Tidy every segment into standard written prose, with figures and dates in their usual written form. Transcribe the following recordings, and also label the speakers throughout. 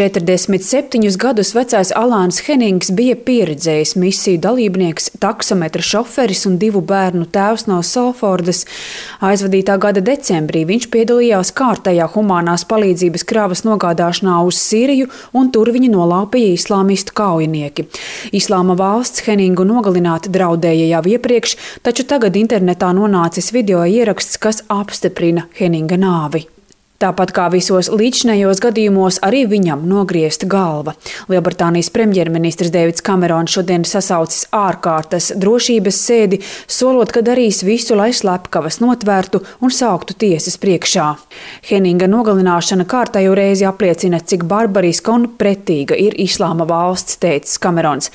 Speaker 1: 47 gadus vecais Alāns Henings bija pieredzējis misiju dalībnieks, taksometra šoferis un 2 bērnu tēvs no Salfordas. Aizvadītā gada decembrī viņš piedalījās kārtējā humanās palīdzības kravas nogādāšanā uz Sīriju, un tur viņu nolaupīja islāmistu kaujinieki. Islāma valsts Heningu nogalināt draudēja jau iepriekš, taču tagad internetā nonācis video ieraksts, kas apstiprina Heninga nāvi. Tāpat kā visos līdzinējos gadījumos, arī viņam nogriezta galva. Lielbritānijas premjerministrs Deivids Kamerons šodien sasaucis ārkārtas drošības sēdi, solot, ka darīs visu, lai slepkavas notvērtu un sauktu tiesas priekšā. Heninga nogalināšana kārtējo reizi apliecina, cik barbariska un pretīga ir Islāma valsts, teicis Kamerons.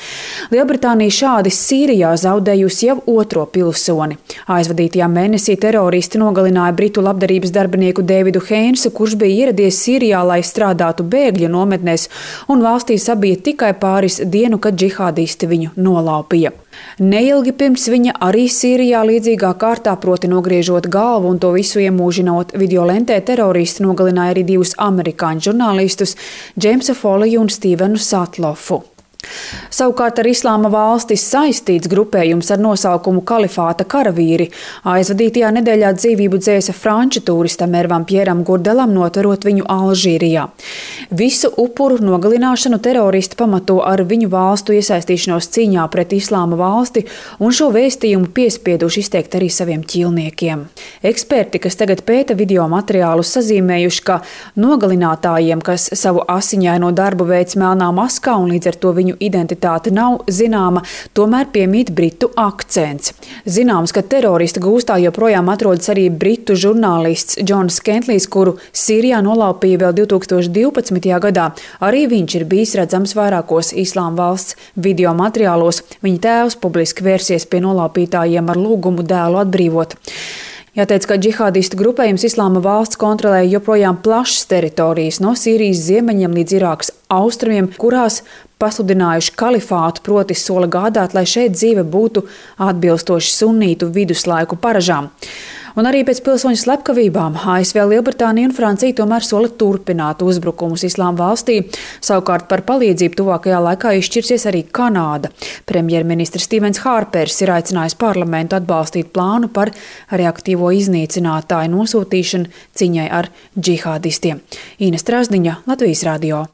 Speaker 1: Lielbritānija šādi Sīrijā zaudējusi jau 2. pilsoni. Aizvadītajā mēnesī teroristi nogalināja britu labdarības darbinieku Deividu Heinu, kurš bija ieradies Sīrijā, lai strādātu bēgļu nometnēs, un valstī sabija tikai pāris dienu, kad džihādisti viņu nolaupīja. Neilgi pirms viņa arī Sīrijā līdzīgā kārtā, proti nogriežot galvu un to visu iemūžinot videolentē, teroristi nogalināja arī 2 amerikāņu žurnālistus, Džeimsu Foliju un Stīvenu Satlofu. Savukārt ar Islāma valsti saistīts grupējums ar nosaukumu Kalifāta karavīri aizvadītajā nedēļā dzīvību dzēsa franču turistam Ervam Pjeram Gurdelam, notverot viņu Alžīrijā. Visu upuru nogalināšanu teroristi pamato ar viņu valstu iesaistīšanos cīņā pret Islāma valsti, un šo vēstījumu piespieduši izteikt arī saviem ķīlniekiem. Eksperti, kas tagad pēta video materiālus, sazīmējuši, ka nogalinātājiem, kas savu asiņaino darbu veic melnā maskā un līdz ar to viņu identitāte nav zināma, tomēr piemīt britu akcents. Zināms, ka terorista gūstā joprojām atrodas arī britu žurnālists Džons Kentlijs, kuru Sīrijā nolaupīja vēl 2012. gadā. Arī viņš ir bijis redzams vairākos Islāma valsts video materiālos. Viņa tēvs publiski vērsies pie nolaupītājiem ar lūgumu dēlu atbrīvot. Jāteic, ka džihādistu grupējums Islāma valsts kontrolē joprojām plašas teritorijas no Sīrijas ziemeņiem līdz Irākas austrumiem, kurās pasludinājuši kalifātu, proti sola gādāt, lai šeit dzīve būtu atbilstoši sunītu viduslaiku paražām. Un arī pēc pilsoņu slepkavībām ASV, Lielbritānija un Francija tomēr sola turpināt uzbrukumus Islāma valstī. Savukārt par palīdzību tuvākajā laikā izšķirsies arī Kanāda. Premjerministrs Stīvens Hārpers ir aicinājis parlamentu atbalstīt plānu par reaktīvo iznīcinātāju nosūtīšanu cīņai ar džihādistiem. Ines Trāzdiņa, Latvijas radio.